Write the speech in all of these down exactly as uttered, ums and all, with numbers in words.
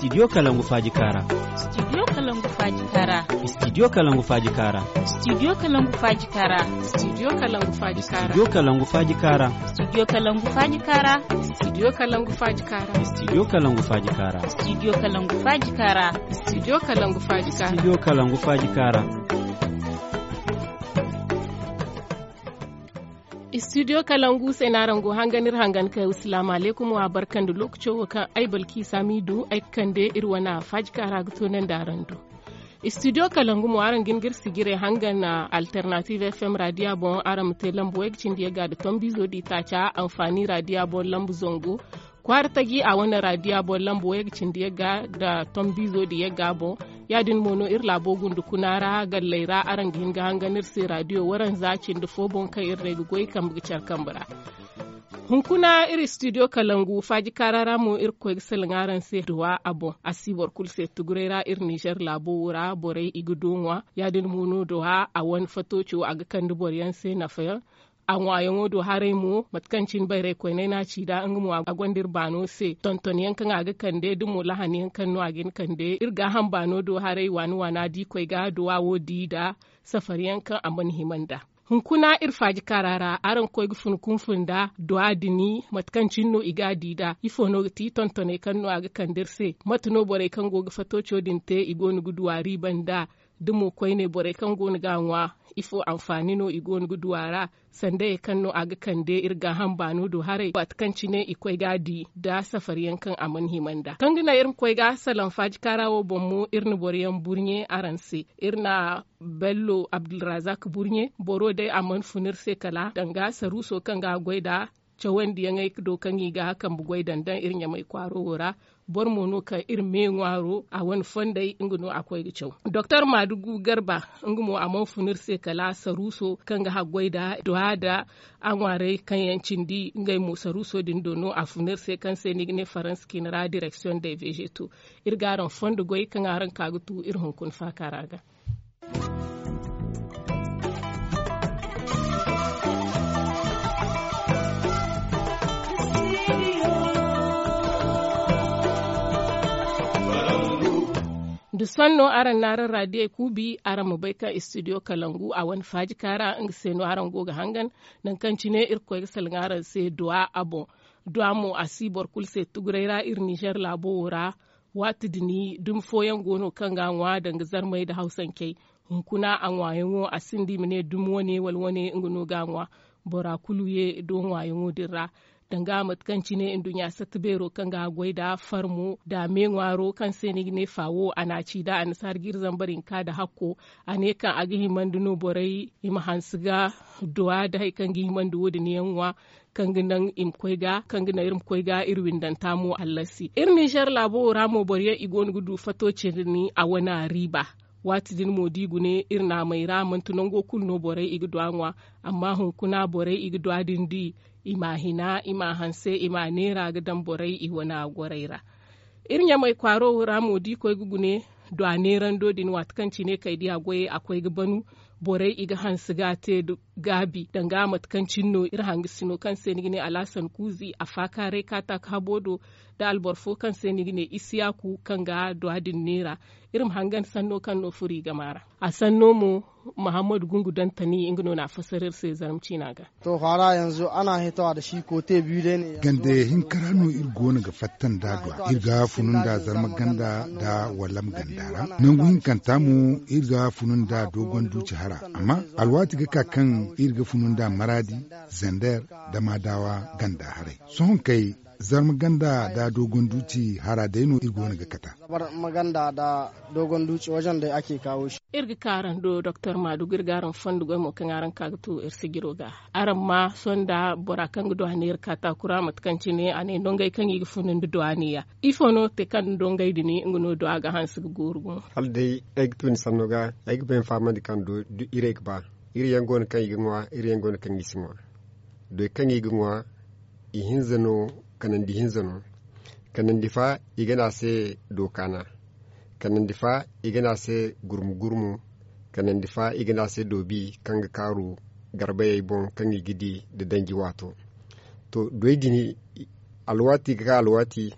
Studio Kalangu Faaji Kaara. Studio Kalangu Faaji Kaara. Studio Kalangu Faaji Kaara. Studio Kalangu Faaji Kaara. Studio Kalangu Faaji Kaara. Studio Kalangu Faaji Kaara. Studio Kalangu Faaji Kaara. Studio Kalangu Faaji Kaara. Studio Kalangu Faaji Kaara. Studio Kalangu Faaji Kaara. Studio Kalangu Faaji Kaara. Studio Kalangu Faaji Kaara. Studio Kalangu se no araŋ go hangan iri hangan kay. Asalaamu alaykum, wa barka nda lookaco wo kaŋ ay balki saamidu ay ga kande iri wane faaji kaara ga toonandi araŋ do. Studio Kalangu mo araŋ ga hin ga iri sijirey hangan alternative FM raadiya boŋ araŋ ma te lamba way ga cindi yagga nda tombiizo da itaaca anfaani raadiya boŋ lamba zangu kwaara taji a wane raadiya boŋ lamba way ga cindi yagga nda tombiizo da yagga boŋ. Ya- din mo no iri laabo gunda kuna ra galley ra araŋ ga hin ga hangan iri se raadiyo waranza cindi fo boŋ kaŋ iri day ga goy kambe ga care kambe ra. Hunkuna iri studio kalangu faaji kaara ra mo iri ga koy ga salaŋ araŋ se duwa a boŋ a si boro kulu se tuguray ra iri ninzeer laabo wo ra borey i ga du ŋwa. Ya- din mo no duwa a wane fatooco a ga kande boro yaŋ se nafa yaŋ. A ŋwaayaŋo do haray mo mate kaŋ cine bayray koyney no a ci nd'a nga mo a gonda iri baano se tonton yaŋ kaŋ a ga kande da mo lahan yaŋ kaŋ no a ga hin kande iri gaaham baano do haray waana waana da i koy ga duwa wo di nd'a safari yaŋ kaŋ a mana hima nd'a. Hunkuna iri faaji kaara ra araŋ ga koy ga fun kunfun nda duwa din mate kaŋ cine no i ga a di nd'a ifo no ga ti tontoney kaŋ no a ga kande iri se? Mate no borey kaŋ go ga fatooco din te i go no ga duwa riiba nd'a? Da mo koyne borey kaŋ go no ga a ŋwa ifo anfaani no i go no ga du a ra? Sandayey kaŋ no a ga kande iri gaaham baano do haray waati kaŋ cine i koy ga a di nda safari yaŋ kaŋ a mana hima nd'a kaŋ ga naŋ iri ma koy ga salaŋ faaji kaara wo boŋ mo iri na boro yaŋ burɲe araŋ se. Iri na bello abdulrazak burɲe boro day a mana fun iri se kala danga saruuso kaŋ ga a goy nd'a cawandiyaŋey do kaŋ i ga kambe goy daŋ daŋ iri ɲamay kwaaro wo ra. Boro mo no kaŋ iri me ŋwaaro a wane fondey nga no a koy ga caw. Doktor maadugu garba nga mo a mana fun iri se kala saruuso kaŋ ga haggoy nda duwa nda a ŋwaarey kaŋ yaŋ cindi ngey mo saruuso din do no a fun iri se kaŋ se ni ga ne faransa cine ra direksiyoŋ day vezeto. Iri ga araŋ fondo goy kaŋ araŋ ka ga tu iri hunkuna faaka ra ga. Da sohõ no araŋ na araŋ raadiyey kuubi araŋ ma bay kaŋ istidiyo kalangu a wane faaji kaara nga se no araŋ go ga hangan. Nangu kaŋ cine iri ga koy ga salaŋ araŋ se duwa a boŋ. Duwa mo a si boro kulu se tuguray ra iri ninzeer laabo wo ra. Waati din dumi fooyaŋ go no kaŋ ga a ŋwa danga zarmey nda hawsancey. Hunkuna a ŋwaayaŋo a sinda i ma ne dumi wane wala wane nga no ga a ŋwa. Bora kulu ye do ŋwaayaŋo din ra. Danga mate kaŋ cine nduɲɲa satta beero kaŋ ga a goy nda farmo nda me ŋwaaro kaŋ se ni ga ne faawo a na a ci nda annasaara jiiri zambar hinka nda hakko. A ne kaŋ a ga himandi no borey i ma hanse ga duwa nda hari kaŋ ga himandi wo- din yaŋ ŋwa. Kaŋ ga naŋ i ma koy ga kaŋ ga naŋ iri ma koy ga iri windanta mo hallasi iri ninzeer laabo wo ra mo boro yaŋ i go no ga du fato cindi ni a wane a riiba. Waati din mo da i gune iri naamey ra manti nango kulu no borey i ga du a ŋwa. Amma hunkuna borey i ga du a din di i m'a hina i m'a hanse i m'a neera ga daŋ borey i wane a gorey ra. Iri ɲamey kwaaro ra mo da i koy ga gune du a neerando din waati kaŋ cine kay da i a goyey a koy ga banu. Borey i ga hanse ga a te nda gaabi danga mate kaŋ cine no iri hangasino kaŋ se ni ga ne alhasan kuuzi a faakaaray kaataaka habo do. Nda alboro fo kaŋ se ni ga ne isiyaaku kaŋ ga duwa din neera. Iri ma hangan sanno kaŋ no furo i gama ra. A sanno mo mahammadu gungu dantani nga no na a fasar iri se zarma ciina ga. To faara yanzu ana hitawa da shi kote biyu day ne. Gande hinka ra no iri go no ga fatta nda duwa iri ga funu nda zarma ganda nda wallam ganda ra. Nangu hinkanta mo iri ga funu nda dogon duuci hara. Amma alwaati ga ka kaŋ iri ga funu nda maraadi, zander, da maadawa ganda haray. Sohõ kay zarma ganda nda dogon duuci hara day no iri go no ga kata. Zarma ganda nda dogon duuci wajen day ake kawo shi. Iri ga ka araŋ do doktor maadugu iri ga araŋ fondo goy mo kaŋ araŋ ka ga tu iri sijiro ga. Araŋ ma sohõ nda bora kaŋ ga duwa neera kaataakura mate kaŋ cine a ne nongey kaŋ i ga funu nda duwa neeya. Ifo no te kaŋ nongey din nga no duwa ga hanse ga gooru gumo. Hala day ay ga tu ni sanno ga ay ga bay ni fahamandi kaŋ do irey ga ba. Iri yaŋ go no kaŋ i ga ŋwa iri yaŋ go no kaŋ i si ŋwa. Doy kaŋ i ga ŋwa ihinza no, kanandi hinza no. Kanandi fa i ga ne a se dookaana. Kanandi fa i ga ne a se gurmu gurmu. Kanandi fa i ga ne a se doobi kaŋ ga kaaru garbayey boŋ kaŋ i ga di nda danji waato. To doy din alwaati ga ka alwaati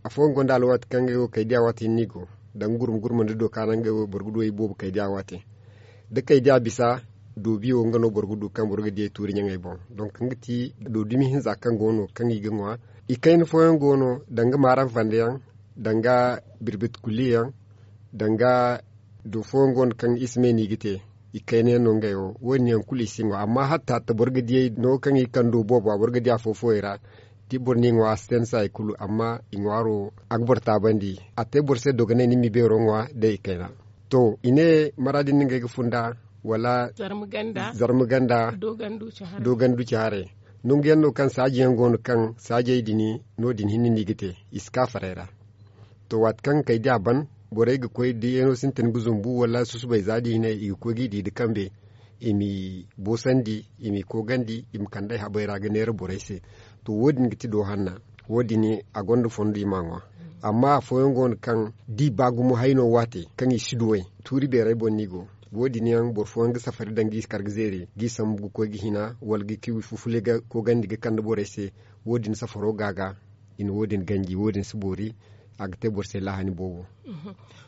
Afooyaŋ gonda alwaati kaŋ ngey wo kaydiya waati hinne i go, danga gurma gurma nda dooka no ngey wo boro ga du ay boobo kaydiya waati. Da kaydiya bisa, doobi wo nga no boro ga du kaŋ boro ga di ay tuuri ɲaŋey boŋ. Donk nga ti do dumi hinza kaŋ go no kaŋ i ga ŋwa. I kayna fooyaŋ go no, danga maaram fande yaŋ, danga birbit kulli yaŋ, danga do fooyaŋ go no kaŋ i si me no i ga te. I kayna yaŋ no ngey wo wo- din yaŋ kulu i si ŋwa amma hatta hatta boro ga di ay no kaŋ i kando boobo a boro ga di afo-foyey ra. Da boro n'i ŋwa a si te ni se hari kulu amma i ŋwaaro a ga boro taabandi. A te boro se dogonay ni ma i beero ŋwa day i kayna. To i ne maraadi nda ngey ga funda wala zarma ganda doogandu ci haray. Nangu yaŋ no kaŋ saaji yaŋ go no kaŋ saajey din no- din hinne no i ga te i si ka faray ra. To waati kaŋ kay da a ban, borey ga koy da yeeno sintin ga zumbu wala susubay za da i ne i ga koy ga i di nda kambe, i m'i boosandi, i m'i koogandi, i ma kand'ey habey ra ga neera borey se. To wo- din ga ti do hanna. Wo- din a gonda fondo i m'a ŋwa. Amma afooyaŋ go no kaŋ da i ba gumo hayno waate kaŋ i si duw'ey, tuuri beerey boŋ no i go. Wo- din yaŋ boro fooyaŋ ga safari daŋ ga i kar ga zeeri ga i sambu ga koy ga hina wala ga i fufule ga koogandi ga kande borey se. Wo- din safaro ga a ga i na wo- din ganji wo- din si boori. A ga te boro se laahani boobo.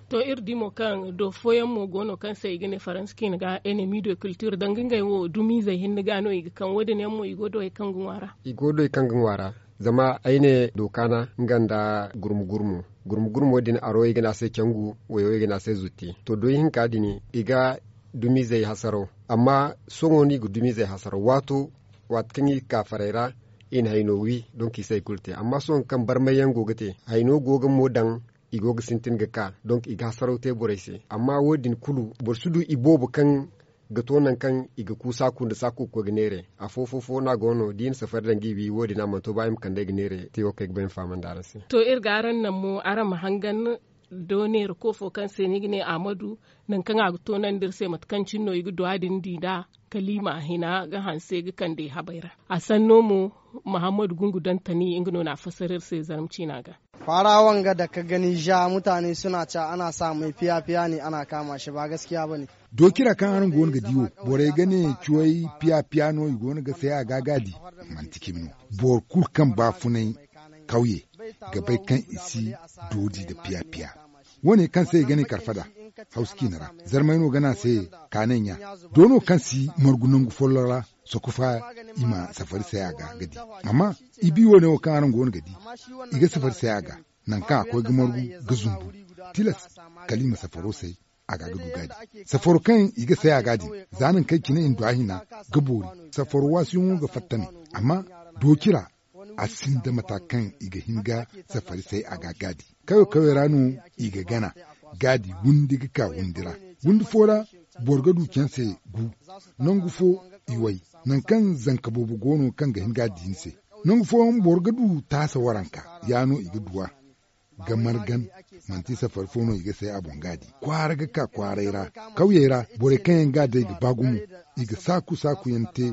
To iri di mo kaŋ do fooyaŋ mo go no kaŋ se i ga ne faransa ciine ga enemi de culture danga ngey wo dumiizey hinne ga no i ga kaŋ wo- din yaŋ mo i go do hari kaŋ ga ŋwa ra. I go do hari kaŋ ga ŋwa ra. Zama ay ne dooka na nga nda gurmu gurmu gurmu gurmo din aro i ga ne a se cangu wayo i ga ne a se zutti to doy hinka din i ga dumiizey hasaraw. Amma sohõ no i ga dumiizey hasaraw waato waati kaŋ i ga ka farey ra. I na hayno wi donk i si hari kulu te amma sohõ kaŋ barmay yaŋ go ga te hayno go ga mo daŋ. I go ga sintin ga ka donk i ga hasaraw te borey se amma wo- din kulu boro si du i boobo kaŋ ga to nangu kaŋ i ga ku saaku nda saaku ga koy ga neere. Afo fo fo no a go no da i na safari daŋ ga i wi wo- din a mana to ba i ma kand'ey ga neere te wo kaŋ ay ga ba ay ma fahamandi araŋ se. To iri ga araŋ naŋ mo araŋ ma hangan do neera koofo kaŋ se no i ga ne ahmadu, nangu kaŋ a ga toonandi iri se mate kaŋ cine no i ga duwa din di nd'a kala i ma a hina ga hanse ga kande i habey ra. A sanno mo mahammadu gungu dantani nga no na a fassara iri se zarma ciina ga. Fara wanga da ka gani ja mutane suna ca ana sa mai fiya fiya ne ana kama shi ba gaskiya ba ne. Dookira kaŋ araŋ go no ga di wo, borey ga ne cuwey piya piya no i go no ga say a ga gaadi. Manti cimi no. Boro kulu kaŋ baafunay kawye ga bay kaŋ i si doodi nda piya piya. Wo- ne kaŋ se i ga ne karfada hawsa ciine ra, zarmay no ga ne a se kaanay ɲa. Doono kaŋ si margu nangu folloŋ ra, sokofa i ma safari say a ga ga di. Amma i bi wo- ne wo kaŋ araŋ go no ga di, i ga safari say a ga. Nangu kaŋ a koy ga margu ga zumbu, tilas kala i ma safaro say a ga ga du gaadi. Safaro kaŋ i ga say a ga din, za nangu kaŋ cine i na du a hina ga boori. Safaro waasuyaŋo ga fatta me. Amma dooci ra a sinda mata kaŋ i ga hin ga safari say a ga gaadi. Kawe kawe ra no i ga gana gaadi, windi ga ka windi ra. Windi fo ra boro ga du canse gu. Nangu fo i way, nangu kaŋ zanka boobo go no kaŋ ga hin ga a di ni se. Nangu fooyaŋ boro ga du taasa waranka, ya no i ga duw'a ga margan. Manti safari fo no i ga say a boŋ ga a di kwaara ga ka kwaaray ra. Kawyey ra borey kaŋ yaŋ ga a day ga ba gumo, i ga saaku saaku yaŋ te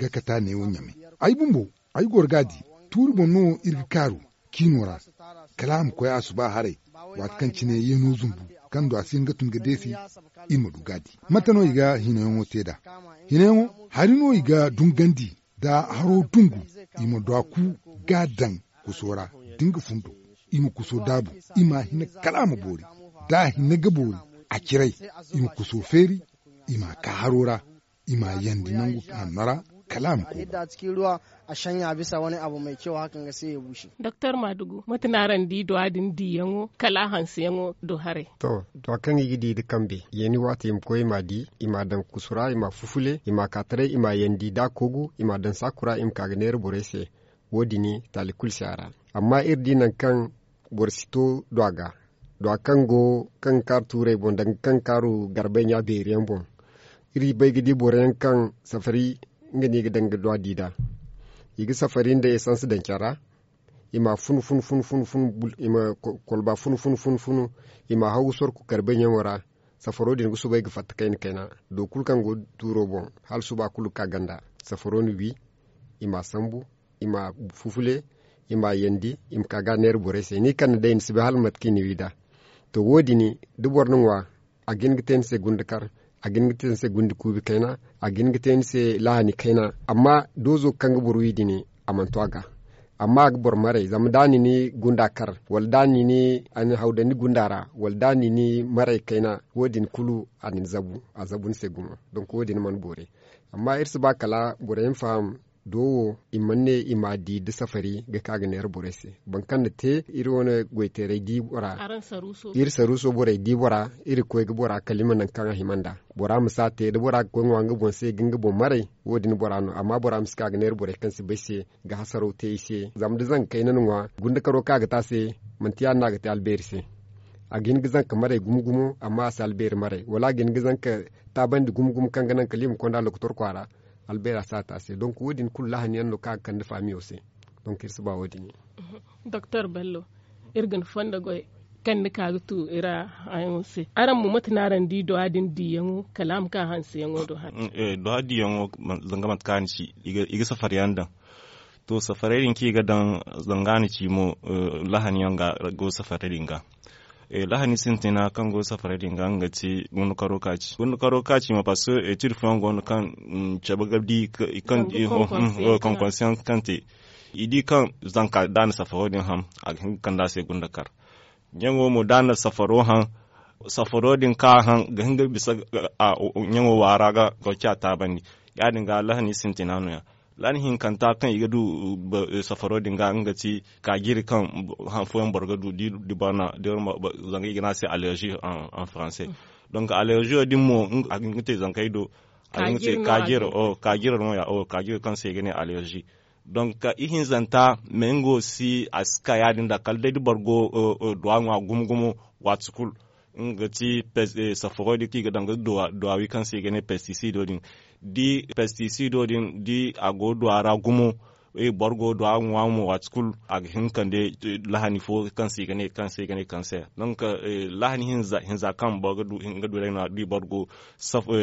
ga kata neewo ɲamay. Ay bumbo ay goro ga a di, tuuri boŋ no iri ga kaaru ciino ra. Kala a ma koy a suba haray, waati kaŋ cine yeeno zumbu kaŋ du a si hin ga tun ga deesi, iri ma du ga a di. Mate no i ga hinayaŋo te nd'a? Hinayaŋo hari no i ga dungandi. Da haro dungu, i ma du a ku ga a daŋ kuso ra. Da nga fundo, i ma kuso daabu, i ma a hina kala a ma boori. Da a hina ga boori, a ciray, i ma kuso feeri, i ma a ka haro ra, i ma a yandi nangu hanno ra, kala a ma koy. Yadda a cikin ruwa, a shanya bisa wani abu mai kyau hakan ga sai ya bushe. Doktor madugu mate no araŋ di duwa din diyaŋo kala a hanseyaŋo do haray? To duwa kaŋ i ga di nda kambe, yeeni waati i ma koy i ma a di, i ma a daŋ kusu ra, i ma a fufule, i ma a ka taray, i ma a yandi da a koogu, i ma a daŋ saaku ra i ma ka ga neera borey se. Wo- din taali kulu si a ra. Amma iri di nangu kaŋ boro si to duwa ga, duwa kaŋ go kaŋ ga kaaru tuurey boŋ danga kaŋ ga kaaru garbey ɲa beeri yaŋ boŋ. Iri bay ga di boro yaŋ kaŋ safari nga no i ga daŋ ga duwa di nd'a. I ga safari nda esans daŋ care ra. I ma a funu funu funu funu funu, i ma kolba funu funu funu funu, i ma a haw ga sorku garbey ɲaŋo ra. Safaro din ga soobay ga fatta kayna kayna. Do kulu kaŋ go tuuro boŋ, hala suba kulu ga ka ganda. Safaro na wi, i ma a sambu, i ma a fufule, i ma a yandi, i ma ka ga a neera borey se ni kande day ni si bay hala mate kaŋ i na wi nd'a. To wo- din, da boro na ŋwa, a ga hin ga te ni se gunda kar, a ga hin ga te ni se gunda kuubi kayna, a ga hin ga te ni se lahani kayna. Amma doozo kaŋ ga boro wi din, a mana to a ga. Amma a ga boro maray zama da a na ni gunda kar, wala da a na ni hawdandi gunda ra, wala da a na ni maray kayna, wo- din kulu a na ni zabu a zabu ni se gumo. Donk wo- din mana boori. Amma iri si ba kala boro yaŋ faham, do wo i mana ne i m'a di nda safari ga ka ga neera borey se. Boro kaŋ na te iri wane goyteeray di bora. Iri saruuso borey di bora, iri ga koy ga bora kala i ma nangu kaŋ a hima nd'a. Bora ma si a te da bora ga koy ŋwa nga boŋ se ga nga boŋ maray. Wo- din bora no amma bora ma si ka ga neera borey kaŋ si bay se ga hasaraw te i se. Zama da zanka kayna na ŋwa, gunda karo kaŋ a ga te a se, manti ya- din no a ga te albeeri se. A ga hin ga zanka maray gumo gumo, amma a si albeeri maray wala a ga hin ga zanka taabandi gumo gumo kaŋ ga naŋ kala i ma konda lokotor kwaara. Albeera si a te a se donk wo- din kulu lahani yaŋ no kaŋ a ga kande faamiyo se. Donk iri si ba wo- din yaŋ. Doktor bello, iri ga ni fondo goy kaŋ ni ka ga tu iri hayaŋo se. Araŋ mo mate no araŋ di duwa din diyaŋo kala a ma ka hanseyaŋo do hane? Duwa diyaŋo, zanga mate kaŋ a ni ci, i ga safariyaŋ daŋ. To safaray din kaŋ i ga daŋ, zanga a ni ci mo, lahani yaŋ ga go safaray din ga. Lahani sintina kaŋ go safaray din ga nga ga ti gundukaro kaaci gundukaro kaaci mo parce que etid fooyaŋ go no kaŋ cabe ga di kaŋ konkonsiyaŋ kaŋ te. I di kaŋ zanka da a na safaro din ham, a ga hin ga kande a se gundakar. Ɲaŋo mo da a na safaro haŋ, safaro din kaŋ a haŋ ga hin ga bisa ɲaŋo waara ga ga ci a taabandi. Ya- din ga lahani sintina no- ya. Lahani hinkanta kaŋ i ga du safaro din ga nga ga ti kaajiri kaŋ han fooyaŋ boro ga du di bana. Zanga i ga ne a se allergie en français. Donc allergie din mo a ga hin ga te zankey do. A ga hin ga te kaajiri no- ya kaajiri kaŋ se i ga ne allergie. Donc ihinzanta me nga wo si a si ka ya- din da kala day da boro go duwa ŋwa gumo gumo waati kulu. Nga ga ti safaro din kaŋ i ga daŋ ga duwa wi kaŋ se i ga ne pesticido din. Da pesticido din da a go duwa ra gumo, boro go duwa ŋwa mo waati kulu a ga hin ga kande lahani fo kaŋ se i ga ne kaŋ se i ga ne kaŋ se. Donc lahani hinza kaŋ boro ga du nga du day no- ya da boro go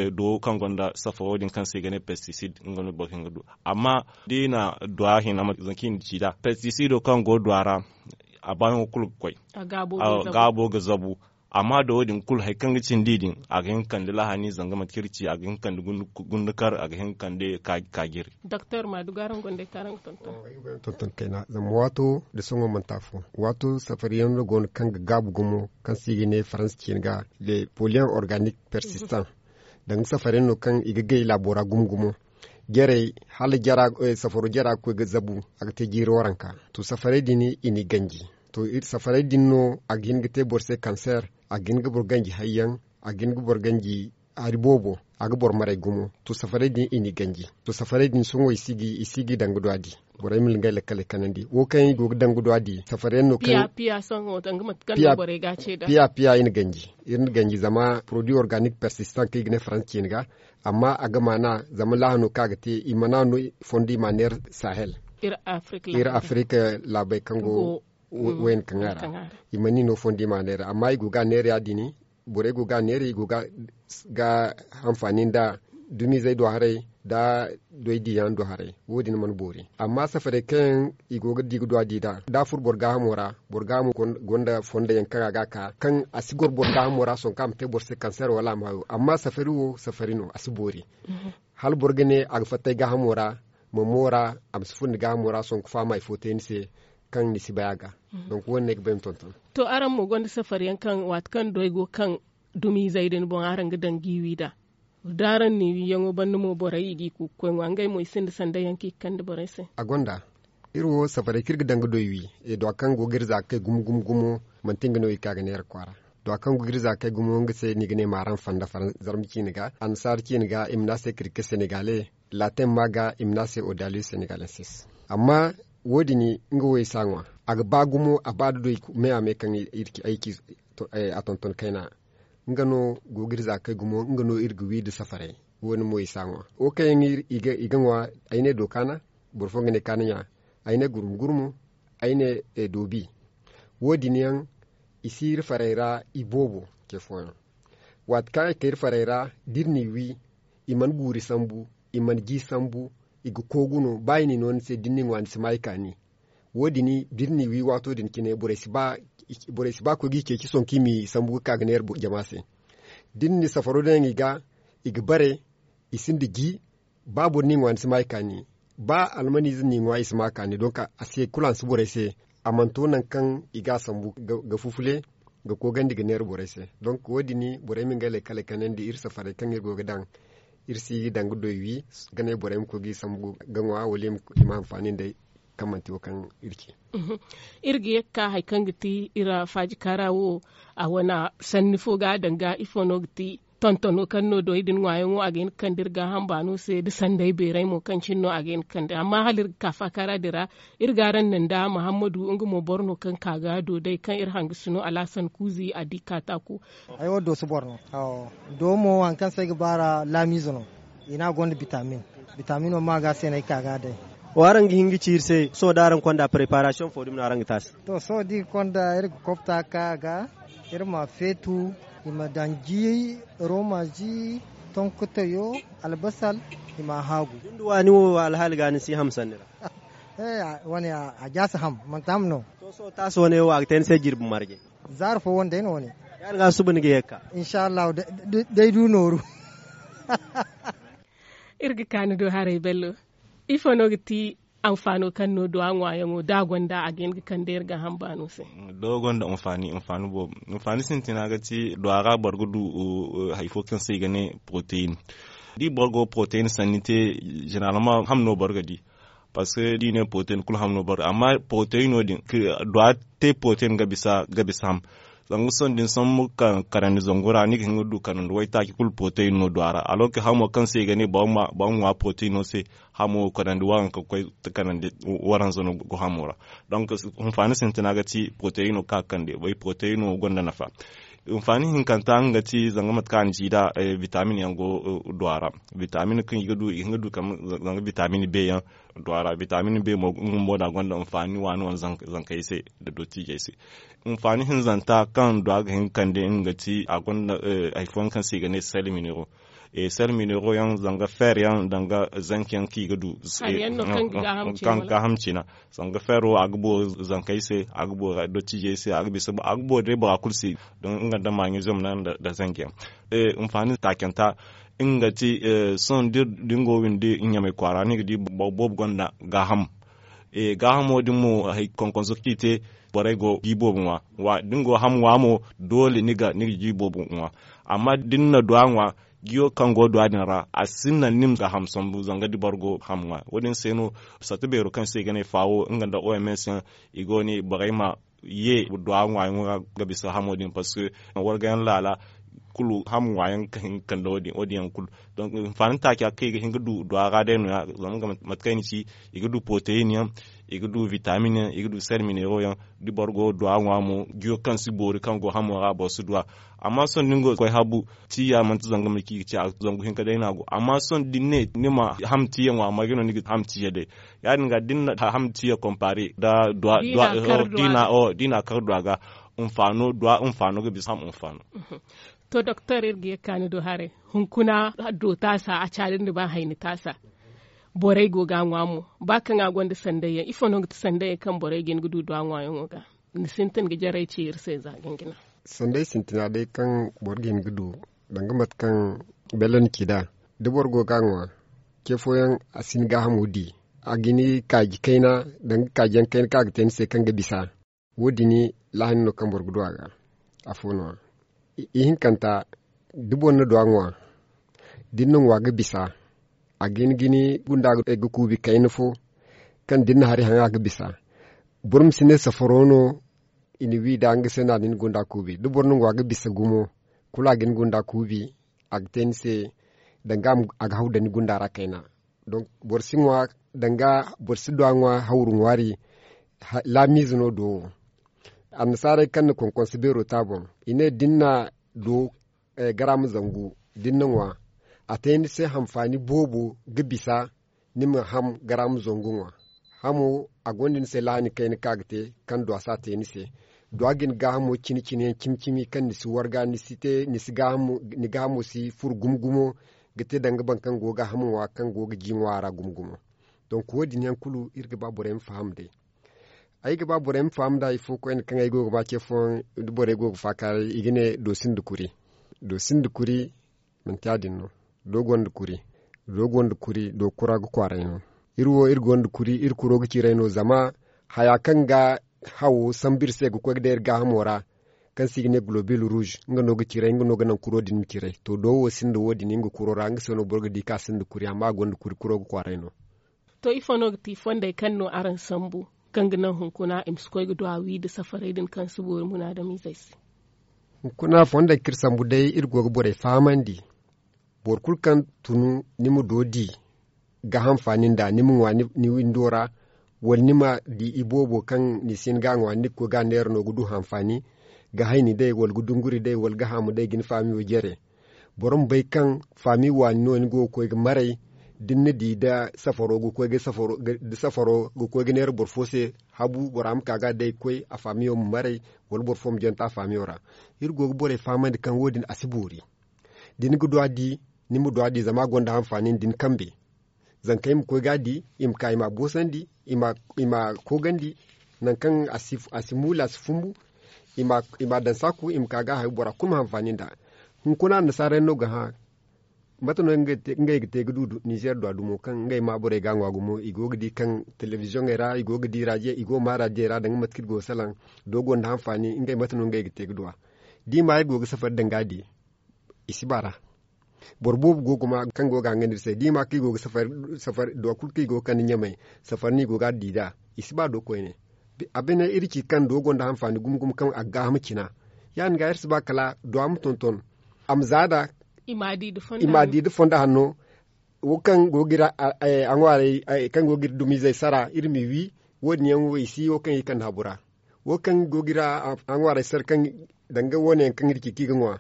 duwo kaŋ gonda safaro din kaŋ se i ga ne pesticide nga no boro ga hin ga du. Amma da i na duwa hina mate zanka i na ci nd'a pesticido kaŋ go duwa ra, a baayaŋo kulu ga koy. Gaabo ga zabu. Amma da wo- din kulu hari kaŋ ga cindi din a ga hin ga kande lahani zanga mate kaŋ iri ci a ga hin ga kande gundukar a ga hin ga kande kaajiri. Doktor ma du ga araŋ gonda ay kaŋ araŋ ga tonton. Tonton kayna zama waato nda sohõ manti afo. Waato safariyaŋ no go no kaŋ ga gaabu gumo kaŋ se i ga ne faransa ciine ga le polluant organique persistant. Danga safariyaŋ no kaŋ i ga gay laabo ra gumo gumo. Jarey hala safaro jara ga koy ga zabu, a ga te jiiri waranka. To safaray din i n'i ganji. To iri safaray din no a ga hin ga te boro se kanseer. A ga hin ga boro ganji hayyaŋ. A ga hin ga boro ganji hari boobo. A ga boro maray gumo. To safaray din i n'i ganji. To safaray din sohõ i si ga i daŋ ga du a di. Borey ma ngey lakkaley kanandi wo kaŋ yaŋ i go ga daŋ ga du a di safariyaŋ no kaŋ piya piya i na ganji. Iri na ganji zama produit organik persistant kaŋ i ga ne faransa ciine ga. Amma a ga maana zama laahano kaŋ a ga te i mana no fondo i ma a neera sahel. Iri afirika laabey kaŋ go wayne kaŋ a ra. I mana i no fondo i ma a neera amma i go ga a neera ya- din. Borey go ga a neera i go ga hanfaani nda dumizey do haray nda doy diyaŋ do haray. Wo- din mana boori amma safarey kaŋ yaŋ i go ga di ga du a di nd'a da a furo boro gaahamo ra. Boro gaahamo gonda fondo yaŋ kaŋ a ga a ka kaŋ a si goro boro gaahamo ra sohõ kaŋ a ma te boro se kanseer wala a ma hayo amma safari wo safari no a si boori. Hala boro ga ne a ga fatta ay gaahamo ra, ma moora a ma si furo ni gaahamo ra sohõ ga fahamay fo te ni se kaŋ ni si bay a ga. Donk wo- din no ay ga bay ma tonton. To araŋ mo gonda safariyaŋ kaŋ waati kaŋ doy go kaŋ dumiizey din boŋ araŋ ga daŋ ga i wi nd'a? Da araŋ na i wiyaŋo banda mo borey i g'i ku ga koy ŋwa ngey mo i sinda sanday yaŋ kaŋ i ga kande borey se. A gonda. Iri wo safarey kaŋ iri ga daŋ ga doy wi. Duwa kaŋ go ga iri za ga kay gumo gumo gumo manti nga no i ga ka ga neera kwaara. Duwa kaŋ go ga iri za ga kay gumo nga se no i ga ne maaraŋ fanda zarma ciine ga annasaara ciine ga i ma ne a se kirke senegale. Latin ma ga i ma ne a se odaliyo senegalensis. Amma wo- din nga wo i si a ŋwa. A ga ba gumo a ba da doy me a me kaŋ iri ci ay ci a tonton kayna. Nga no go ga iri za ga kay gumo nga no iri ga wi nda safarey. Wo- din mo i si a ŋwa wo kaŋ yaŋ i ga ŋwa. Ay ne do kaana. Boro fooyaŋ ga ne kaana ɲa. Ay ne gurmu gurmu. Ay ne doobi. Wo- din yaŋ i si iri farey ra i boobo. Ce fooyaŋ waati kaŋ i kay iri farey ra da iri n'i wi i mana guuri sambu, i mana ji sambu, i ga koogu no ba i n'i no ni se da ni n'i ŋwa ni si ma i kaani. Wo- din da iri n'i wi waato din cine borey si ba koy ga i ceeci sohõ kaŋ i m'i sambu ga ka ga neera jama se. Da iri na safaro daŋ i ga i ga bare. I sinda ji. Ba boro n'i ŋwa ni si ma i kaani. Ba almaniize n'i ŋwa i si ma a kaani donk a se kulu a si borey se. A mana to nangu kaŋ i ga a sambu ga fufule ga koogandi ga neera borey se. Donk wo- din borey ma ngey laykale kanandi iri safarey kaŋ iri go ga daŋ. Iri si daŋ ga doy wi ga ne borey ma koy ga i sambu ga ŋwa wala i ma hanfaani nd'ey kaŋ manti wo kaŋ iri ci. Iri ga ye ga ka hari kaŋ ga ti iri faaji kaara wo, a wane sanni fo ga a daŋ ga ifo no ga ti tontono kaŋ no doy din ŋwaayaŋo a ga hin ga kande iri gaaham baano se nda sanday beeray mo kaŋ cine no a ga hin ga kande amma hala iri ga ka faakaara din ra. Iri ga araŋ naŋ nda muhammadu nga mo boro no kaŋ ka ga do day kaŋ iri hangasino alhasan kuuzi a di kaataako. Ay wo dooso boro no. Do mo hari kaŋ se ay ga baar'a laamiize no. I ne a gonda bitamin. Bitamino ma ga se no ay ka ga day. Wo araŋ ga hin ga ci iri se sohõ da araŋ konda preparasiyoŋ fo dumi no araŋ ga te a se? To sohõ da iri konda iri ga kopta ka a ga iri ma a feetu. I ma daŋ ji rooma ji tonkotoyo albasal i ma a haagu. Ni nda waani wo alhaali ga ni si ham sanni ra? Wane a jaasi ham manti ham no. To sohõ taasi wane wo a ga te ni se jirbi marje. Zaari fo wane day no wane. Ya- din ga suba ni ga ye ga ka. Insa allahu. Day du nooru. Iri ga ka ni do haray bello. Ifo no ga ti anfaano kaŋ no duwa ŋwaayaŋo da a gonda a ga hin ga kande iri gaaham baano se? Do gonda anfaani anfaani boobo. Anfaani sintina ga ti duwa ra boro ga du hari fo kaŋ se i ga ne poroteyin. Da i boro go poroteyin sanni te, zeneralman ham no boro ga di. Parceque da i ne poroteyin kulu ham no boro ga di amma poroteyin no- din duwa te poroteyin ga bisa ham. Zanga sohõ da ni sambu kanandi zangu ra ni ga hin ga du kanandi waytaaci kulu poroteyin no duwa ra alors que hamo kaŋ se i ga ne boro ma ŋwa poroteyin no se. Hamo kanandi waranka ga koy kanandi waranza no ga hamo ra. Donc, hinfaani sintina ga ti poroteyin no kaŋ a ga kande bay poroteyin no gonda nafa. Hinfaani hinkanta nga ga ti zanga mate kaŋ a na ci nd'a, bitamin yaŋ go duwa ra. Bitamin kaŋ i ga du i ga hin ga du zanga bitamin be yaŋ duwa ra bitamin be mo nga bumbo no a gonda hinfaani waani wane zankey se. Nda dottiijey se. Hinfaani hinzanta kaŋ duwa ga hin ga kande nga ga ti a gonda hari fooyaŋ kaŋ se i ga ne sel minero. Sel minero yaŋ zanga feer yaŋ danga zanki yaŋ kaŋ i ga du kaŋ ga gaaham cina. Zanga feero a ga boori zankey se, a ga boori dottiijey se, a ga boori day bora kulu se. Nga nda maɲiziyom no nda zanki yaŋ. Hinfaani taacanta nga ga ti sohõ da ni go windi ɲamay kwaara ni ga di boro boobo gonda gaaham. Gaahamo din mo hari konkonso kaŋ i te borey go ji boobo ŋwa. Da ni go ham ŋwa mo doole ni ga ji boobo ŋwa. Amma da ni na duwa ŋwa, jiyo kaŋ go duwa din ra a si naŋ ni ma gaaham sambu zanga da boro go ham ŋwa. Wo- din se no sata beero kaŋ se i ga ne faawo nga nda oms yaŋ i go ne borey ma ye duwa ŋwaayaŋo ra ga bisa hamo din parceque wargayaŋ laala kulu ham ŋwaayaŋ ga hin ga kande wo- din yaŋ kulu. Donc, hinfaani taaca kaŋ i ga hin ga du duwa ra day no- ya zama mate kaŋ ay na ci i ga du poroteyin yaŋ, i ga du vitamin yaŋ, i ga du sel minero yaŋ. Da boro go duwa ŋwa mo jiyo kaŋ si boori kaŋ go hamo ra boro si duwa. Amma sohõ da ni go ga koy habu tiya manti zanga mate kaŋ i ga ci a zangu hinka day no a go amma sohõ da ni ne ni ma ham tiya ŋwa marje no ni ga ham tiya day. Ya- din ga da ni na ham tiya konpaare nda duwa duwa. Da i na a kar duwa ga hinfaano duwa hinfaano ga bisa ham hinfaano. To doktor iri ga ye ga ka ni do haray. Hunkuna do taasa a caali nda ba hayni taasa. Borey go ga a ŋwa mo ba kaŋ a gonda sanday yaŋ ifo no ga ti sanday yaŋ kaŋ borey ga hin ga du duwa ŋwaayaŋo ga? Ni sintin ga jarey ci iri se za gingina. Sanday sintina day kaŋ boro ga hin ga du danga mate kaŋ bello na ci nd'a. Da boro go ga a ŋwa ce fooyaŋ a si ni gaahamo di. A ga ni kaaji kayna danga kaaji yaŋ kayna kaŋ a ga te ni se kaŋ ga bisa. Wo- din laahani no kaŋ boro ga du a ga. Afo no- ya ihinkanta da boro na du a ŋwa da ni na ŋwa ga bisa. A ga hin ga ni gunda ga kuubi kayna fo kaŋ da ni na hari haŋ a ga bisa. Boro ma si ne safaro no i na wi nd'a nga se no a na ni gunda kuubi da boro na ŋwa ga bisa gumo kulu a ga ni gunda kuubi. A ga te ni se danga a ga haw daŋ ni gunda ra kayna. Donk boro si ŋwa danga boro si du a ŋwa hawru ŋwaari. Laamiize no do wo. Annasaarey kaŋ na konkonso beero te a boŋ i ne da ni na do garaama zangu da ni na ŋwa a te ni se hanfaani boobo ga bisa. Ni ma ham garaama zangu ŋwa hamo a gonda ni se laahani kayna kaŋ a ga te kaŋ duwa si a te ni se. Duwa ga ni gaahamo cine cine yaŋ cimi cimi kaŋ ni si warga ni gaahamo si furo gumo gumo ga te danga boro kaŋ go ga ham ŋwa kaŋ go ga ji ŋwa a ra gumo gumo. Donk wo- din yaŋ kulu iri ga ba borey ma faham day. Ay ga ba borey ma faham nd'a ifo koyne kaŋ ay go ga ba ce fooyaŋ da borey go ga faakaaray i ga ne do sinda kuri. Do sinda kuri manti ya- din no. Do gonda kuri do gonda kuri do kura ga kwaaray no. Iri wo iri gonda kuri iri kuro ga ciray no zama haya kaŋ ga hawo sambu iri se ga koy ga day iri gaahamo ra, kaŋ se i ga ne globil ruuz nga no ga ciray nga no ga naŋ kuro din ma ciray to do wo sinda wo- din nga kuro ra nga se no boro ga di kaŋ a sinda kuri amma a gonda kuri kuro ga kwaaray no. To ifo no ga ti fondey kaŋ no araŋ sambu kaŋ ga naŋ hunkuna i ma si koy ga du a wi nda safarey din kaŋ si boori munaadamizey se? Hunkuna fondey kaŋ iri sambu day iri go ga borey fahamandi. Boro kulu kaŋ tunu ni ma do di ga hanfaani nd'a ni ma ŋwa ni windo ra, wala ni ma di iboobo kaŋ ni si hin ga a ŋwa ni ga koy ga a neera no ga du hanfaani, ga hayni day wala ga dunguri day wala ga haamu day ga ni faamiyo jare. Boro ma bay kaŋ faami waani no ni go ga koy ga maray. Da ni na di da safaro ga koy ga neera boro fo se habu bora ma ka ga day ga koy a faamiyo ma maray, wala boro fo ma jonta a faamiyo ra. Iri go ga borey fahamandi kaŋ wo- din a si boori. Da ni ga du a di, ni ma du a di zama a gonda hanfaani nda ni kambe. Zankey ma koy ga a di i ma ka i ma a boosandi, i ma koogandi nangu kaŋ a si muula a si fumbu. I ma a daŋ saaku i ma ka ga a hayo bora kulu ma hanfaani nd'a. Hunkuna annasaara yaŋ no ga hã mate no ngey ga te ga du nizeer du a dumo kaŋ ngey ma borey ga a ŋwa gumo i go ga di kaŋ telebiziyoŋey ra i go ga di raadiyo i go ga ma raadiyey ra danga mate kaŋ iri go ga salaŋ. Do gonda hanfaani ngey mate no ngey ga te ga du a. Da i ma iri go ga safari daŋ ga a di i si baara. Boro boobo go ga ma kaŋ go ga hangan iri se da i ma kaŋ i go ga safari duwa kulu kaŋ i go ga kande ɲamay. Safari no i go ga a di nd'a i si ba do koyne. A bine iri ci kaŋ do gonda hanfaani gumo gumo kaŋ a ga gaaham cina. Ya- din ga iri si ba kala duwa ma tonton a ma za nd'a. I ma a di nda fondo hanno. Wo kaŋ go ga iri a ŋwaaray kaŋ go ga iri dumiizey sara iri m'i wi. Wo- din yaŋ wo i si wo kaŋ i kande habu ra. Wo kaŋ go ga iri a ŋwaaray sara kaŋ danga wo- ne yaŋ kaŋ iri ci kaŋ i ga ŋwa.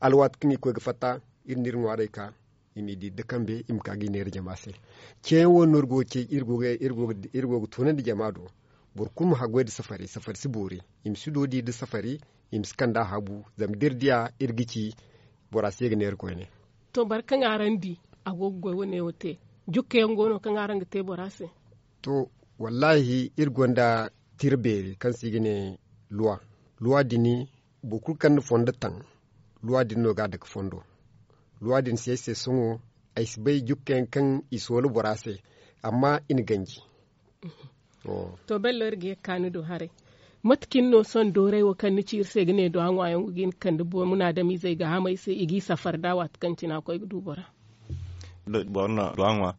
Alwaati kaŋ i ga koy ga fatta iri na iri ŋwaaray ka i m'i di nda kambe i ma ka ga i neera jama se. Ceeyaŋ wo- din no iri go ga ce iri go ga tunandi jama do. Boro kulu ma haggoy nda safari safari si boori. I ma si doodi nda safari i ma si kand'a habu zama da iri diya iri ga ci bora si ye ga neera koyne. To boro kaŋ araŋ di a go ga goy wane wo te jukka yaŋ go no kaŋ araŋ ga te bora se? To wallaahi iri gonda tira beeri kaŋ se i ga ne luwa. Luwa din boro kulu kaŋ na fondo taŋ luwa din no ga a dake fondo. Luwa din si ay se sohõ ay si bay jukka yaŋ kaŋ i soola bora se. Amma i na ganji. To bello iri ga ye ga ka ni do haray. Mate cine no sohõ dooray wo kaŋ ni ci iri se ga ne do a ŋwa yaŋ ga hin ga kande munaadamizey ga hamey se i g'i safari nd'a waati kaŋ cine a koy ga du bora? Boro na do a ŋwa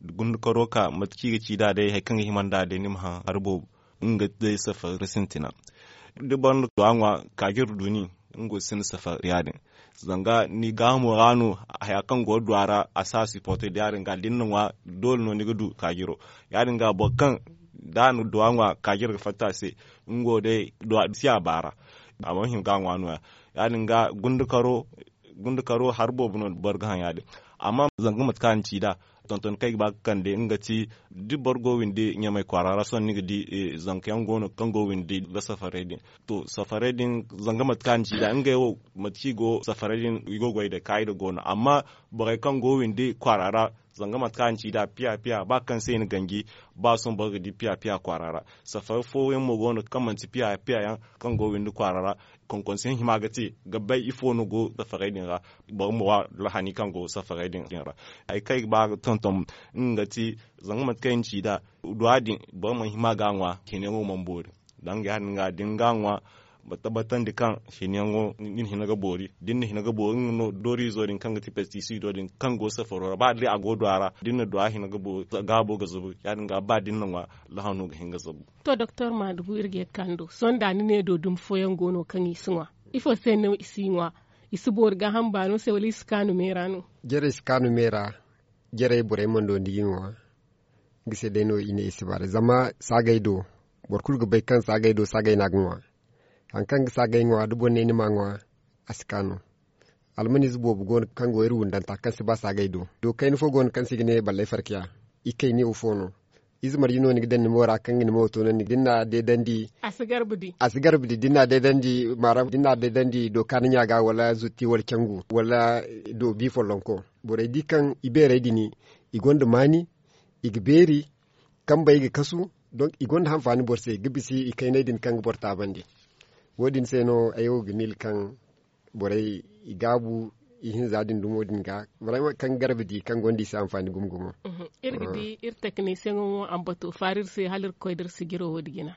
gundukaro ka mate kaŋ i ga ci nd'a day hari kaŋ ga hima nd'a day ni ma haŋ hari boobo. Nga day safari sintina da boro na do a ŋwa kaajiro du ni. Nga wo sinda safari ya- din zanga ni gaahamo ra no haya kaŋ go ga du a ra a si a siporte da ya- din ga da ni na ŋwa doole no ni ga du kaajiro. Ya- din ga boro kaŋ da a na duwa ŋwa kaajiro ga fatta a se nga wo day duwa si a baara. A mana hima ga a ŋwa no- ya ya- din ga gundukaro hari boobo no boro ga haŋ ya- din. Amma zanga mate kaŋ a na ci nd'a tonton kaŋ ay ga ba ga kande nga ti da boro go windi ɲamay kwaara ra sohõ ni ga di zanka yaŋ go no kaŋ go windi ga safarey din. To safarey din zanga mate kaŋ a na ci nd'a ngey wo mate kaŋ i go safarey din i go ga goy day kaayida go no amma borey kaŋ go windi kwaara ra zanga mate kaŋ a na ci nd'a piya piya ba kaŋ se i na ganji ba sohõ boro ga di piya piya kwaara ra. Safari fooyaŋ mo go no kaŋ manti piya piya yaŋ kaŋ go windi kwaara ra. Konkonse hima ga te ga bay ifo no go safarey din ra. Boro ma wa lahani kaŋ go safarey din ra. Hari kaŋ ay ga ba ga tonton nga ga ti zanga mate kaŋ ay na ci nd'a duwa din boro mana hima ga a ŋwa hinayaŋo mana boori. Danga ya- din ga da ni ga a ŋwa ma tabbatandi kaŋ hinayaŋo ni na hina ga boori da ni na hina ga boori nga no dooriizo din kaŋ ga ti pestisiido din kaŋ go safaro ra ba day a go duwa ra da ni na duwa hina ga boori gaabo ga zubu ya- din ga ba da ni na ŋwa lahano ga hin ga zabu. To doktor maadugu iri ga ye ga ka ni do sohõ da ni ne do dumi fooyaŋ go no kaŋ i si ŋwa? Ifo se no i si ŋwa? I si boori gaaham baano se wala i si kaanu meera no? Jarey si kaanu meera. Jarey borey mana do nda i ga ŋwa. Nga se day no i ne i si baara zama saagay do boro kulu ga bay kaŋ saagay do saagay no a ga ŋwa. Hari kaŋ ga saagay ŋwa da boro ne ni m'a ŋwa a si kaanu. Almaniize boobo go no kaŋ go iri wundanta kaŋ si ba saagay do do kayna fo go no kaŋ se i ga ne ballay farkiya. I kayniyo fo no. Ize marje no ni ga daŋ ni mo ra kaŋ ga ni mo toonandi da ni na a deedandi. A si garba di da ni na a deedandi maara da ni na a deedandi dooka ni ɲa ga wala zutti wala cangu wala doobi follonko. Borey di kaŋ i beerey din i gonda maani. I ga beeri kambey ga kasu. Donk i gonda hanfaani boro se ga bisa i kayney din kaŋ ga boro taabandi. Wo- din se no ay wo ga miila kaŋ borey i gaabu. ihinza din dumo din ga, barayma kaŋ garba di kaŋ gonda i se anfaani gumo gumo. Iri ga di iri teknisiyeŋo mo a ma bato faara iri se hala iri ga koy da iri sijiro wo- din jina.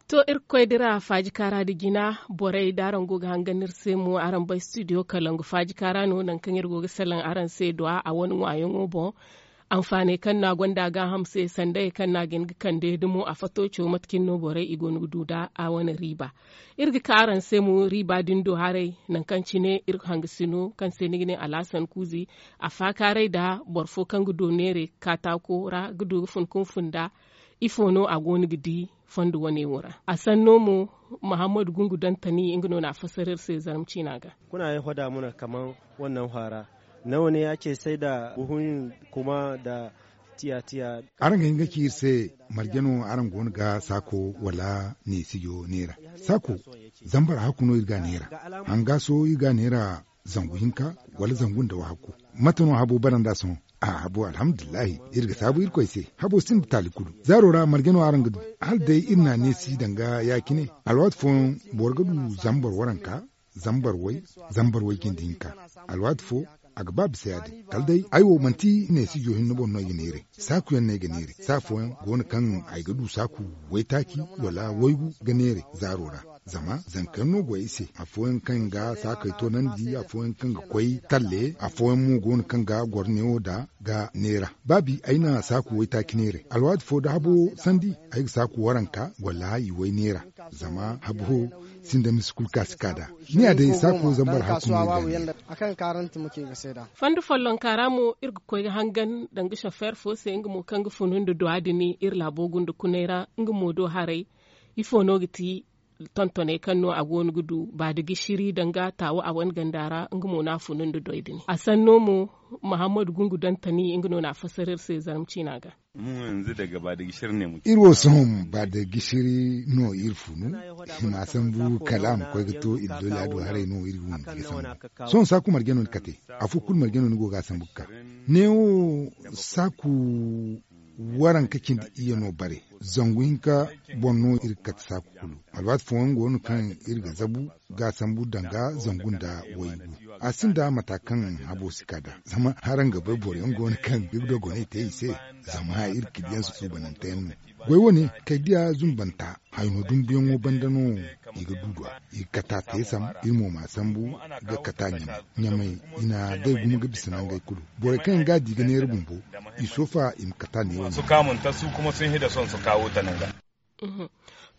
To, iri ga koy dira faaji kaara da jina borey da araŋ go ga hangan iri se mo araŋ bay studio kalangu faaji kaara no nangu kaŋ iri go ga salaŋ araŋ se duwa a wane ŋwaayaŋo boŋ. Anfaaney kaŋ no a gonda a gaaham se sandayey kaŋ no a ga hin ga kande dumo a fato caw mate cine no borey i go no ga du nd'a a wane riiba. Iri ga ka araŋ se mo riiba din do haray nangu kaŋ cine iri hangasino kaŋ se ni ga ne alhasan kuuzi a faakaaray nda boro fo kaŋ ga do neeray kaataako ra ga du ga fun ka fun nd'a. Ifo no a go no ga di fondo wane wo ra a sanno mo? Mahammadu gungu dantani nga no na a fassara iri se zarma ciina ga. Kuna ay hoda muna kaman wannan hwara nawa ne ake sai da buhun kuma da tiya tiya. Araŋ ga hin ga ci iri se marje no araŋ go no ga saako wala neesijo neera? Saako zambar hakku no iri ga a neera. Hanga sohõ iri ga a neera zangu hinka wala zangu nda wahakku. Mate no habo bara nd'a sohõ? A habo alhamdulillahi iri ga saabu irkoy se. Habo sinda taali kulu zaaro ra marje no araŋ ga du. Hala day iri na a neesi danga ya- cine alwaati fooyaŋ boro ga du zambar waranka, zambar way, zambar way jinde hinka. Alwaati fo a ga ba bisa ya- din kala day ay wo manti neesijo hinne boŋ no ay ga neeray. Saaku yaŋ no ay ga neeray saa fooyaŋ go no kaŋ ay ga du saaku waytaaci wala waygu ga neeray zaaro ra. Zama zanka yaŋ no go ay se afooyaŋ kaŋ ga saakey toonandi afooyaŋ kaŋ ga koy talle afooyaŋ mo go no kaŋ ga goro neewo nd'a ga neera. Ba bi ay na saaku waytaaci neeray alwaati fo da habo sandi ay ga saaku waranka wala i way neera. Zama habo sinda misi kulu ka si ka nd'a. Ni ya day saako zambar hakku no i ga ne. Fondo follonka ra mo iri ga koy ga hangan danga sofeer fo se nga mo kaŋ ga funu nda duwa din iri laabo gunda kunay ra. Nga mo do haray ifo no ga ti tontoney kaŋ no a go no ga du ba da gishiri danga taawu a wane ganda ra nga mo no a funu nda doy din a sanno mo. Mahammadu gungu dantani nga no na a fassara iri se zarma ciina ga. Iri wo sohõ ba da gishiri no iri funu i ma sambu kala a ma koy ga to iri dolla do haray no iri ga windi ga sambu. Sohõ saaku marje no ni kate afo kulu marje no ni go ga a sambu ga ka. Neewo saaku waranka cindi iyye no bare zangu hinka boŋ no iri ga kate saaku kulu. Alwaati fooyaŋ go no kaŋ iri ga zabu ga a sambu danga zangu nda waygu. A sinda mata kaŋ habo si ka nd'a zama haraŋ ga bay boro yaŋ go no kaŋ ga dogonay te i se. Zama iri ga di yaŋ suubanante yaŋ no. Goy wane kay diya zumbanta hayno dumbuyaŋo banda no i ga du duwa i ga kata teesam. Iri mo ma sambu ga kata ɲamay ɲamay i na day gumo ga bisa nangey kulu. Borey kaŋ yaŋ ga a di ga neera bumbo i soofa i ma kata neewo.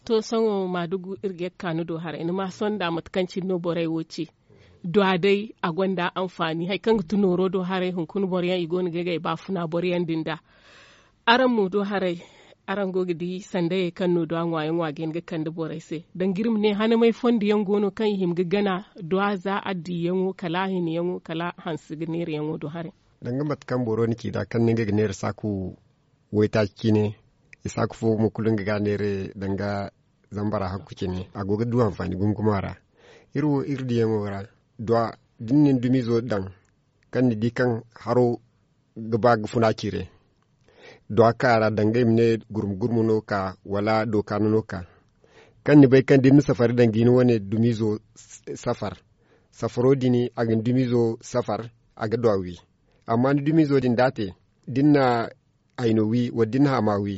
To sohõ maadugu iri ga ye ga ka ni do haray ni ma sonda mate kaŋ cine no borey wo ci. Duwa day a gonda anfaani hari kaŋ ga ti nooro do haray hunkuna boro yaŋ i go no ga ay ga ay baafuna boro yaŋ din da. Araŋ mo do haray araŋ go ga di sandayey kaŋ no duwa ŋwaayaŋo a ga hin ga kande borey se danga iri ma ne hanamay fondo yaŋ go no kaŋ i hima ga gana duwa za addiyaŋo kala a hinayaŋo kala hanse ga neerayaŋo do haray. Danga mate kaŋ boro na ci nd'a kaŋ no nga ga neera saaku waytaaci cine. I saaku fo mo kulu nga ga a neera danga zambara hakku cine a go ga du anfaani gumo gumo a ra. Iri wo iri diyaŋo ra duwa da ni na ni dumiizo daŋ kaŋ ni di kaŋ haro ga ba ga funa cire. Duwa kaŋ a ra danga i ma ne gurmu gurmu no ka wala dookaano no ka. Kaŋ ni bay kaŋ da ni na safari daŋ ga ni wane dumiizo safar safaro din a ga ni dumiizo safar a ga duwa wi. Amma ni dumiizo din da a te da ni na hayno wi wala da ni na hama wi.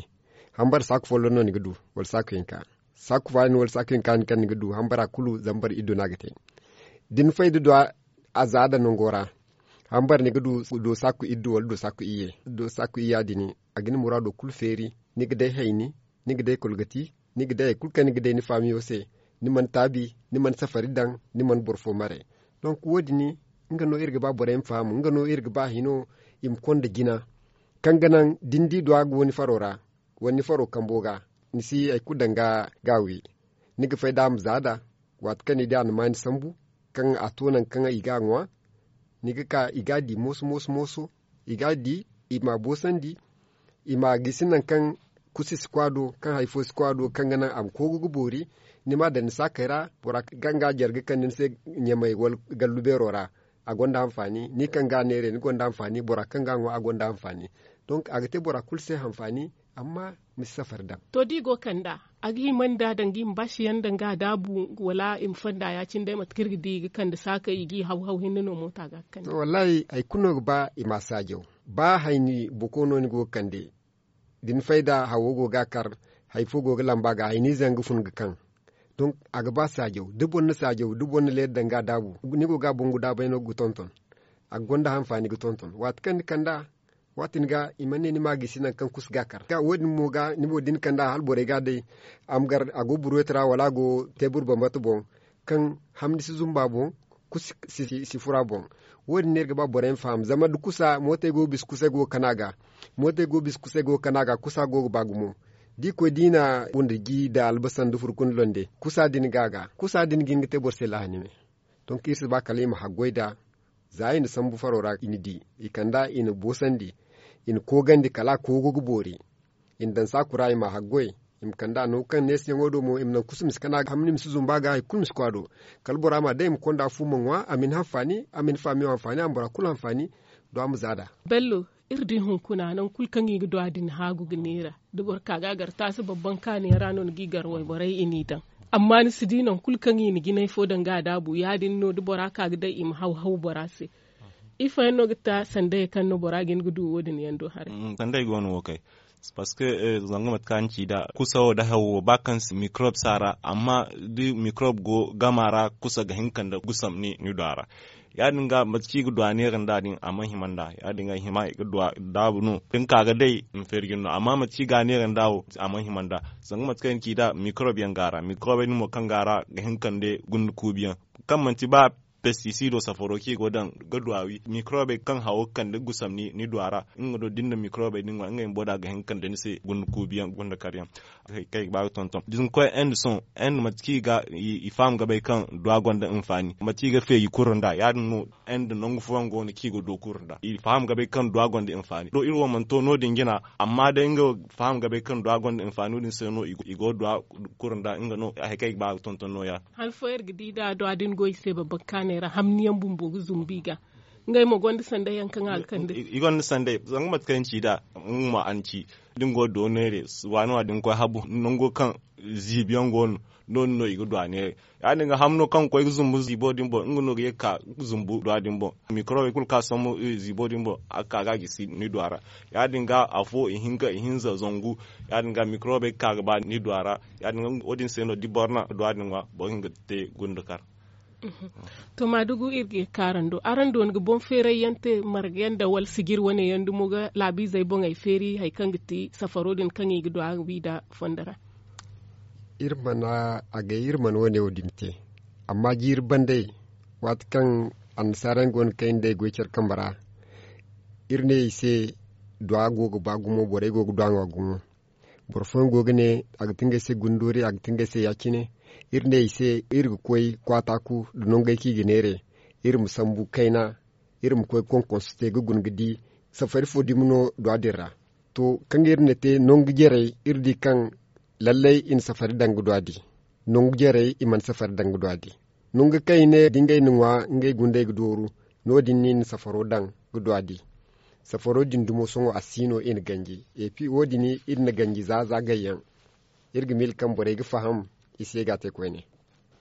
Hambara saaku folloŋ no ni ga du wala saaku hinka. Saaku faani wala saaku hinka din kaŋ ni ga du hambara kulu zambar iddu no a ga te. Da ni fay da duwa a zaada nango ra hambara ni ga du do saaku iddu wala do saaku iyye. Do saaku iyya din a ga ni muraado kulu feeri. Ni ga day hayni, ni ga day kolgati, ni ga day hari kulu kaŋ ni ga day ni faamiyo se. Ni mana taabi, ni mana safari daŋ, ni mana boro fo mare. Donk wo- din nga no iri ga ba borey ma faham nga no iri ga ba hino i ma konda jina. Kaŋ ga naŋ da ni di duwa go ni faro ra wala ni faro kambo ga ni si hari kulu daŋ ga wi. Ni ga fay da a ma za da waati kaŋ ni di a na maani sambu kaŋ a to nangu kaŋ i ga a ŋwa. Ni ga ka i ga a di mooso mooso mooso. I ga a di i ma a boosandi. I ma a gisi nangu kaŋ kusi si kwa do kaŋ hari fo si kwa do kaŋ ga naŋ a ma koogu ga boori. Ni ma a daŋ ni saakey ra bora kaŋ ga a jare ga kande ni se ɲamay wala gallu beero ra. A gonda hanfaani ni kaŋ ga a neeray ni gonda hanfaani bora kaŋ ga a ŋwa a gonda hanfaani. Donk a ga te bora kulu se hanfaani. Amma ma si safari daŋ. To da i go ga kand'a a ga hima nda danga i ma baasi yaŋ danga a daabu wala i ma fonda ya- cine day mate kaŋ iri ga di i ga kande saakey i g'i haw haw hinne no moota ga ga kande. To wallaahi hari kulu no ga ba i ma a saajaw. Ba hayni boko no ni go ga kande da ni fay nd'a hawo go ga a kar, hari fo go ga lamba ga hayniize yaŋ ga fun ga kaŋ. Donk a ga ba saajaw da boro na saajaw da boro na leera daŋ ga a daabu, ni go ga a bangu daabay no ga tonton. A ga gonda hanfaani ga tonton waati kaŋ ni kand'a. Waati din ga i mana ne ni ma a gisi nangu kaŋ kusa ga a kar ga wo- din mo ga ni mo da ni kand'a hala borey ga a day. A ma gar a go buruweti ra wala a go teebur bambata boŋ, kaŋ hamni si zumba boŋ, kusa si fura boŋ. Wo- din no iri ga ba borey ma faham zama da kusa mootey go ga bisa kusay go ga kana ga. Mootey go ga bisa kusay go ga kana ga kusa go ga ba gumo. Da i koy da i na wunda ji nda albasa nda furkun londe kusa din ga a ga kusa din ga hin ga te boro se lahani me. Donk iri si ba kala i ma haggoy nd'a. Za i na sambu faro ra i na di i kand'a i na boosandi. I na koogandi kala a koogo ga boori. I na daŋ saaku ra i ma a haggoy. I ma kand'a nangu kaŋ neesiyaŋo do mo i ma naŋ kusa ma si kana ga hamni ma si zumba ga hari kulu ma si koy a do. Kala bora ma day i ma konda fu ma ŋwa a ma ni hanfaani a ma ni faamiyo hanfaani a ma bora kulu hanfaani. Do a ma za nd'a. Bello, iri di hunkuna nangu kulu kaŋ i ga du a din haagu ga neera. Da boro ka ga a gar taasi babban kaaniyaŋ ra no ni g'i gar wayborey i n'i daŋ. Amma ni si di nangu kulu kaŋ i na jinay fo daŋ ga a daabu ya- din no da bora ka ga day i ma haw haw bora se. Ifo yaŋ no ga ta sandayey kaŋ no bora ga hin ga du wo- din yaŋ do haray? Sandayey go no wo kay. Parceque zanga mate kaŋ a ni ci nd'a kusa wo nda hawo ba kaŋ si mikorob si a ra amma da mikorob go gama ra kusa ga hin kande gusam ni du a ra. Ya- din ga mate kaŋ i ga du a neera nd'a din a mana hima nd'a ya- din ga hima i ga du a daabu no da ni ka ga day i ma feeri jine no amma mate kaŋ i ga a neera nd'a wo a mana hima nd'a. Zanga mate kaŋ i na ci nd'a mikorob yaŋ go a ra mikorobey din mo kaŋ go a ra ga hin kande gunde kuubi yaŋ kaŋ manti ba pestisido safaro kaŋ i go ga daŋ ga du a wi mikorobey kaŋ hawo ga kande gusam ni du a ra. Nga do da ni na mikorobey din ŋwa ngey bumbo da a ga hin ga kande ni se gunde kuubi yaŋ gunde kar yaŋ. Kaŋ i ga ba ga tonton da ni koy inde sohõ inde mate kaŋ i ga i faham ga bay kaŋ duwa gonda hinfaani mate kaŋ i ga feeji kuru nd'a ya- din no. Inde nangu fooyaŋ go no kaŋ i ga du kuru nd'a i faham ga bay kaŋ duwa gonda hinfaani do iri wo mana to no- din jina. Amma day nga faham ga bay kaŋ duwa gonda hinfaani wo- din se no i go ga duwa kuru nd'a nga no hari kaŋ i ga ba ga tonton no- ya. Han fooyaŋ iri ga di da duwa din go i se babban kaanay ra hamni yaŋ bumbo ga zumbu i ga. Ngey mo gonda sanday yaŋ kaŋ a ga kande. I gonda sanday zanga mate kaŋ ni ci nd'a nga mo a na ci da ni go ga do neere waani waani da ni koy habu nango kaŋ ziibi yaŋ go no no- din no i ga du a neere. Ya- din ga hamno kaŋ ga koy ga zumbu ziibo din boŋ nga no ga ye ga ka ga zumbu duwa din boŋ mikorobey kulu kaŋ a sambu ziibo din boŋ a ga ka ga a gisi ni duwa ra. Ya- din ga afo ihinka ihinza zangu. Ya- din ga mikorobey ga ka ga ba ni duwa ra. Ya- din ga wo- din se no da boro na duwa din ŋwa boro ga hin ga te gunde kar. To maadugu iri ga ye ga ka araŋ do araŋ dooni ga boŋ feeray yaŋ te marga yaŋ da wala sijir wane yaŋ dumo ga laabiizey boŋey feeri hari kaŋ ga ti safaro din kaŋ i ga du a ga wi nd'a fondo ra. Iri mana agay iri mana wane wo- din te. Amma jiiri bandey waati kaŋ annasaara yaŋ go no ga kay nd'ey goy care kambe ra. Iri ne i se duwa go ga ba gumo borey go ga duwa ŋwa gumo. Boro fooyaŋ go ga ne a ga ti ngey se gundoori a ga ti ngey se ya- cine. Iri ne i se iri ga koy kwaataaku nda nongey kaŋ i ga neeray iri ma sambu kayna. Iri ma koy ga konkonso te ga guna ga di safari fo dumi no duwa din ra. To kaŋ iri na te nangu jarey iri di kaŋ lallay i na safari daŋ ga duwa di. Nangu jarey i mana safari daŋ ga duwa di. Nangu kaŋ i ne da ngey na ŋwa ngey gundey ga dooru. No- din no i na safaro daŋ ga duwa di. Safaro din dumo sohõ a si no i na ganji. Epi wo- din iri na ganji za za gayyaŋ. Iri ga miila kaŋ borey ga faham i se ga a te koyne.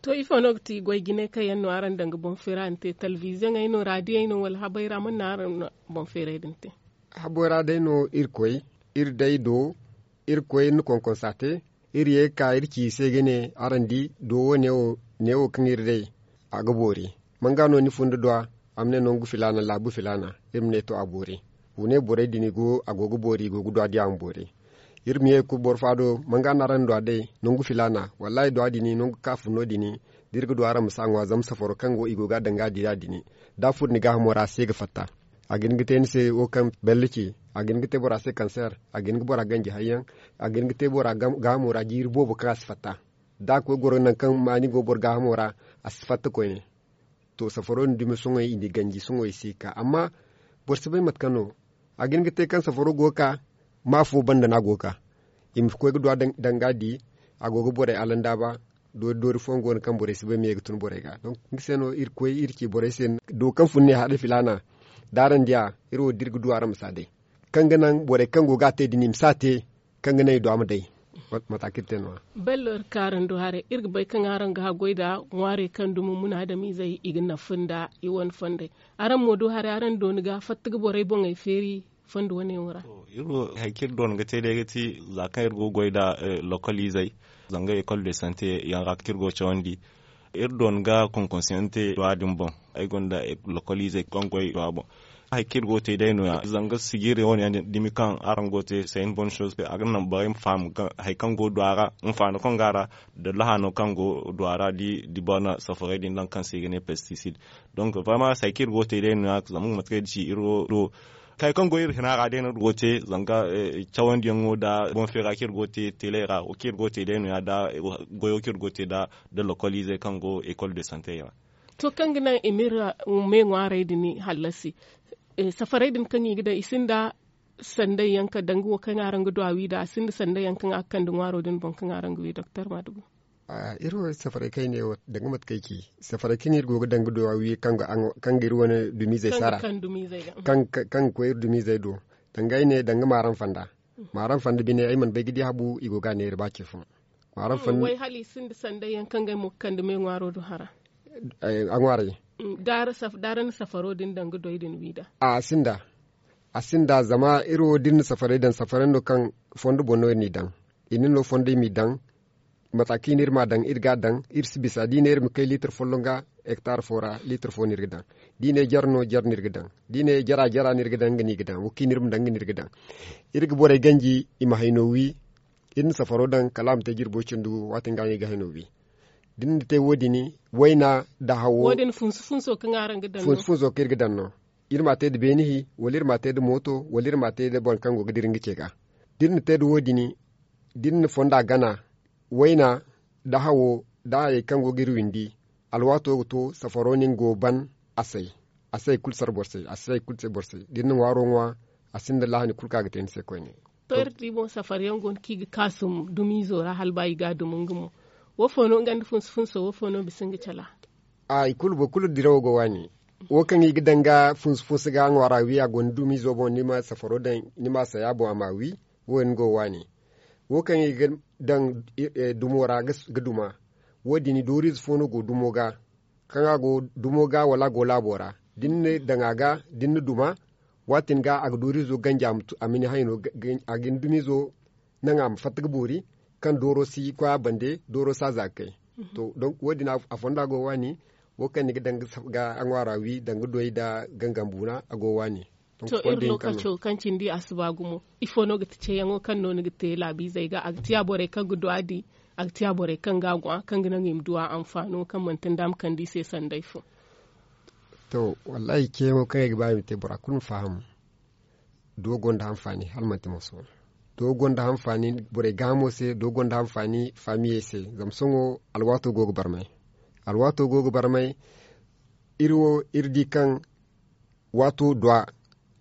To ifo no ga ti goy jinay kaŋ yaŋ no araŋ daŋ ga boŋ feera ni te talbiziyaŋey no raadiyey no wala habey ra mana no araŋ na boŋ feeray din te? Habey ra day no iri koy iri day do iri koy iri na konkonsa te. Iri ye ga ka iri ci i se ga ne araŋ di do wo neewo kaŋ iri day a ga boori. Manga no ni fun da duwa a ma ne nangu filaana laabu filaana. Iri ma ne to a boori. Wa ne borey din i go a go ga boori i go ga duwa di a ma boori. Iri ma ye ga koy boro fa do manga no araŋ na duwa day nangu filaana wallaahi duwa din nangu kaŋ a fun no- din da iri ga duwa araŋ ma si a ŋwa zama safaro kaŋ go i go ga a daŋ ga a di ya- din. Da a furo ni gaahamo ra a se ga fatta. A ga hin ga te ni se wo kaŋ bello ce. A ga hin ga te bora se kanseer. A ga hin ga bora ganji hayyaŋ. A ga hin ga te bora gaahamo ra jiiri boobo kaŋ a si fatta. Da a koy goro nangu kaŋ maani go boro gaahamo ra a si fatta koyne. To safaro din dumi sohõ i na i ganji sohõ i si ga ka amma boro si bay mate kaŋ no. A ga hin ga te kaŋ safaro go ga ka ma afo banda no a go ga ka. I ma koy ga duwa daŋ ga a di a go ga borey alandaaba. Doori doori fooyaŋ go no kaŋ borey si bay me ga tun borey ga donk nga se no iri koy iri ci borey se. Do kaŋ fun ne haray filaana da araŋ diya iri wo da iri ga du araŋ ma si a day. Kaŋ ga naŋ borey kaŋ go ga a te din i ma si a te kaŋ ga naŋ i du a ma day. Mate kaŋ iri te no- ya. Bello iri kaarando haray iri ga bay kaŋ araŋ ga haggoy nda ŋwaarey kaŋ dumi munaadamiizey i ga nafa nda i wane fondey. Araŋ mo du haray araŋ dooni ga fatta ga borey boŋey feeri fondo wane yaŋ ra. Hari kaŋ iri dooni ga te day ga ti za kaŋ iri go ga goy nda lokoliizey zanga ekol de sante yaŋ ra kaŋ iri go ga cawandi. Iri dooni ga konkonsiyaŋ te duwa din boŋ. Ay gonda lokoliizey kaŋ goy duwa boŋ. Hari kaŋ iri go ga te day no- ya zanga sijiiri wane yaŋ din dumi kaŋ araŋ go ga te se hin bon soze a ga naŋ borey ma faham hari kaŋ go duwa ra, hinfaano kaŋ go a ra, nda lahaano kaŋ go duwa ra da i bana safarey din daŋ kaŋ se i ga ne pestisid. Donk vraiment se hari kaŋ iri go ga te day no- ya zama nga mate kaŋ iri ga ci iri wo do. Hari kaŋ go iri hina ra day no iri go ga te zanga cawandiyaŋo nda boŋ feera kaŋ iri go ga te teeley ra wo kaŋ iri go ga te day no- ya nda goyo kaŋ iri go ga te nda lokoliizey kaŋ go ekol de sante yaŋ ra. To kaŋ ga naŋ i ma iri me ŋwaarey din hallasi, safarey din kaŋ i ga daŋ i sinda sanday yaŋ ka danga wo kaŋ araŋ ga du a wi nd'a a sinda sanday yaŋ kaŋ a ga kande ŋwaaro din boŋ kaŋ araŋ ga wi doktor maadugu. Iri wo safarey kaŋ ay ne wo danga mate kaŋ ay ci safarey kaŋ iri go ga daŋ ga du a wi kaŋ ga iri wane dumiizey sara kaŋ ga koy iri dumiizey do. Danga ay ne danga maaram fanda maaram fanda bine ay mana bay ga di habu i go ga a neera ba ce fo. Maaram fanda way hala i sinda sanday yaŋ kaŋ ga ay mo ga kande me ŋwaaro do hara. A ŋwaarey da ara na safaro din daŋ ga doy din wi nd'a. A sinda a sinda zama iri wo da iri na safarey daŋ safarey no kaŋ fondo boŋ no iri n'i daŋ. I na no fondo i m'i daŋ. Mata kaŋ i ne iri m'a daŋ iri ga a daŋ iri si bisa da i ne iri ma kay liitar folloŋ ga hektar fo ra liitar fo no iri ga daŋ. Da i ne jare no jare no iri ga daŋ. Da i ne jara jara no iri ga daŋ nga no i ga daŋ wo kaŋ i ne iri ma daŋ nga no iri ga daŋ. Iri ga borey ganji i ma hayno wi. Iri na safaro daŋ kala a ma te jirbo cindi gu waati nga no i ga hayno wi. Da iri na te wo- din wayna nda hawo wo- din funsu funso kaŋ araŋ ga daŋ no funsu funso kaŋ iri ga daŋ no. Iri m'a te nda beeni hi wala iri m'a te nda mooto wala iri m'a te nda boro kaŋ go ga dira nga ce ga. Da iri na te nda wo- din da iri na fonda gana wayna nda hawo nda hayey kaŋ go ga iri windi. Alwaato ga to safaro no nga go ga ban a say. A si hay kulu sara boro se a si hay kulu se boro se da iri na ŋwaaro ŋwa. A sinda lahani kulu kaŋ a ga te ni se koyne. To iri di boŋ safari yaŋ go no kaŋ i ga kaasum dumiizo ra hala ba i ga a dumi nga mo. Wo fo no nga nda funsu funso wo fo no bisa nga cala? A i kulu boro kulu dirawo go waani. Wo kaŋ i ga daŋ ga funsu funsu ga ŋwaara wi a go ni dumiizo boŋ ni ma safaro daŋ ni ma a say a boŋ a ma a wi. Wo- din go waani. Wo kaŋ i ga daŋ dumo ra ga duma. Wo- din dooriize fo no go dumo ga kaŋ a go dumo ga wala a go laabo ra. Da ni na daŋ a ga da ni na duma. Waatin ga a ga dooriizo ganji a ma ni hayno a ga ni dumiizo naŋ a ma fatta ga boori. Kaŋ dooro si koy a bande dooro si a za ga kay. To donk wo- din a fonda go waani. Wo kaŋ ni ga daŋ ga a ŋwaara wi daŋ ga doy nda gangambuuna a go waani. To iri lookaco kaŋ cindi a si ba gumo ifo no ga ti ceeyaŋo kaŋ no ni ga te laabiizey ga a ga tiya borey kaŋ ga du a di a ga tiya borey kaŋ ga a ŋwa kaŋ ga naŋ i ma du a anfaano kaŋ manti nda a ma kande i se sanday fo? To wallaahi ceeyaŋo kaŋ ay ga ba i ma te bora kulu ma faham. Do gonda hanfaani hala manti moso. Do gonda hanfaani borey gaahamo se do gonda hanfaani faamiyey se. Zama sohõ alwaato go ga barmay. Alwaato go ga barmay. Iri wo iri di kaŋ waato duwa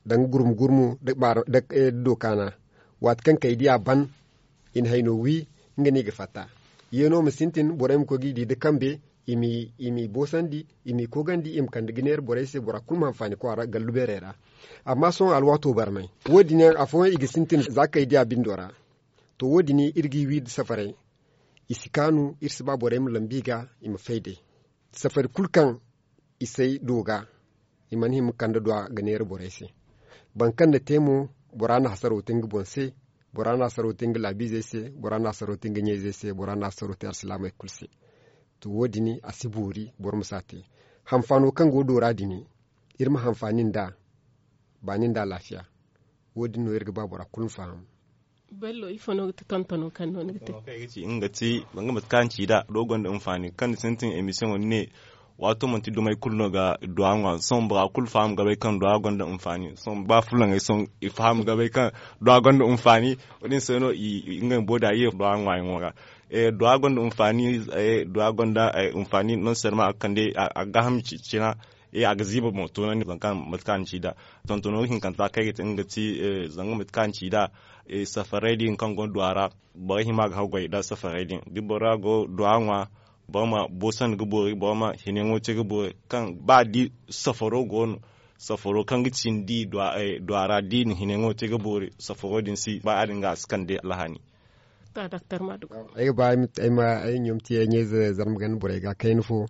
danga gurmu gurmu nda dookaana. Waati kaŋ kay diya ban i na hayno wi. Nga no i ga fatta. Yeeno ma sintin borey ma koy ga i di nda kambe i m'i boosandi i m'i koogandi i ma kande ga neera borey se bora kulu ma hanfaani kwaara gallu beerey ra. Amma sohõ alwaato barmay wo- din yaŋ afooyaŋ i ga sintin za kay diya bindo ra. To wo- din iri g'i wi nda safarey. I si kaanu iri si ba borey ma lambu i ga i ma fay day. Safari kulu kaŋ i say do ga i mana hima kande duwa ga neera borey se. Boro kaŋ na te mo bora na hasaro te nga boŋ se. Bora na hasaro te nga laabiizey se bora na hasaro te nga ɲayzey se bora na hasaro te alsilaamey kulu se. To wo- din a si boori boro ma si a te. Hanfaano kaŋ go doora din iri ma hanfaani nd'a. Baani nda alaafiya. Wo- din no iri ga ba bora kulu ma faham. Bello ifo no ga ti tontono kaŋ no ni ga te? Nga ti zanga mate kaŋ araŋ ci nd'a do gonda hinfaani kaŋ ni sintin emisiyoŋo ni ne. Waato manti dumey kulu no ga duwa ŋwa sohõ bora kulu faham ga bay kaŋ duwa gonda hinfaani. Sohõ ba fulaŋey sohõ i faham ga bay kaŋ duwa gonda hinfaani. Wo- din se no i ngey bumbo da ye duwa ŋwaayaŋo ra. Duwa gonda hinfaani. Duwa gonda hinfaani non selma a ga kande a ga gaaham cina. A ga ziiba boŋ toonandi zanga kaŋ mate kaŋ a na ci nd'a. Tontono hinkanta kaŋ ay ga te nga ga ti zanga mate kaŋ a na ci nd'a. Safarey din kaŋ go no duwa ra, borey hima ga haggoy nda safarey din da bora go duwa ŋwa, boro ma boosandi ga boori, boro ma hineyaŋo te ga boori kaŋ ba da safaro go no, safaro kaŋ ga cindi duwa ra da i na hineyaŋo te ga boori, safaro din si ba ya- din ga a si kande alhaani. Ay ga ba ay ma ɲoomti ay ɲayze zarma ganda borey ga kayna fo.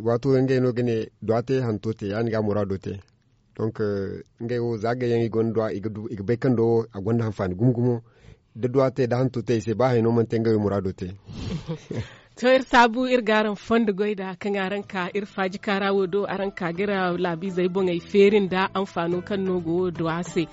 Waato ngey no ga ne duwa te hanto te ya- din ga a muraado te. Donk ngey wo za gayyaŋ i gonda duwa i ga bay kaŋ do wo a gonda hanfaani gumo gumo. Da duwa te da hanto te i se ba hayno mana te ngey wo muraado te. To iri saabu iri ga araŋ fondo goy nd'a kaŋ araŋ ka iri faaji kaara wo do araŋ ka ga iri laabiizey boŋey feeri nda anfaano kaŋ no go wo duwa se.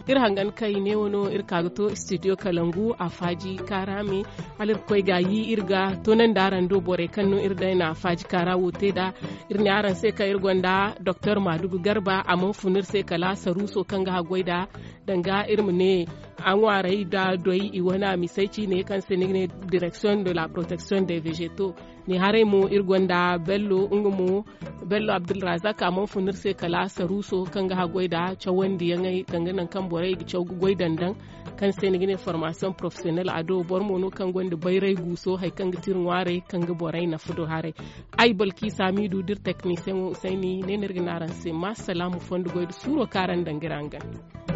Iri hangan kay ne wano iri ka ga to studio kalangu a faaji kaara me. Hala iri ga koy ga yi iri ga toonandi araŋ do borey kaŋ no iri day na faaji kaara wo te nd'a. Iri ne araŋ se kaŋ iri gonda doktor maadugu garba a mana fun iri se kala saruuso kaŋ ga haggoy nd'a danga iri ma ne a ŋwaaray nda doy i wane a misey ciine kaŋ se ni ga ne direction de la protection de vegeto. Ne haray mo iri gonda bello nga mo bello abdulrazak a mana fun iri se kala saruuso kaŋ ga haggoy nda cawandiyaŋey danga nangu kaŋ borey ga caw ga goy dandaŋ kaŋ se ni ga ne formation professionel a do boro mo no kaŋ gonda bayray guuso hari kaŋ ga ti iri ŋwaarey kaŋ ga borey nafa do haray. Ay balki saamidu da iri teknisiyaŋo usayni ne no iri ga ne araŋ se ma salaamu fondo goy nda suuro kaŋ araŋ daŋ ga iri hangan.